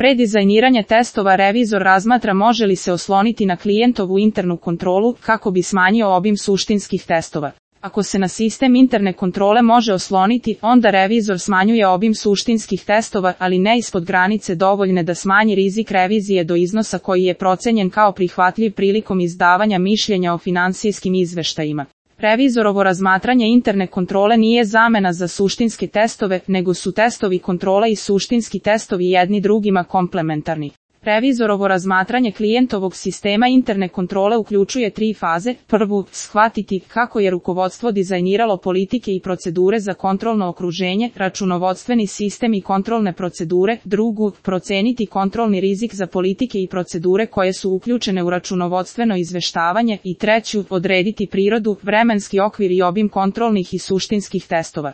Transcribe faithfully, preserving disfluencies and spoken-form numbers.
Pre dizajniranja testova revizor razmatra može li se osloniti na klijentovu internu kontrolu kako bi smanjio obim suštinskih testova. Ako se na sistem interne kontrole može osloniti, onda revizor smanjuje obim suštinskih testova, ali ne ispod granice dovoljne da smanji rizik revizije do iznosa koji je procenjen kao prihvatljiv prilikom izdavanja mišljenja o finansijskim izveštajima. Revizorovo razmatranje interne kontrole nije zamena za suštinske testove, nego su testovi kontrole i suštinski testovi jedni drugima komplementarni. Revizorovo razmatranje klijentovog sistema interne kontrole uključuje tri faze. Prvu, shvatiti kako je rukovodstvo dizajniralo politike i procedure za kontrolno okruženje, računovodstveni sistem i kontrolne procedure. Drugu, proceniti kontrolni rizik za politike i procedure koje su uključene u računovodstveno izveštavanje. I treću, odrediti prirodu, vremenski okvir i obim kontrolnih i suštinskih testova.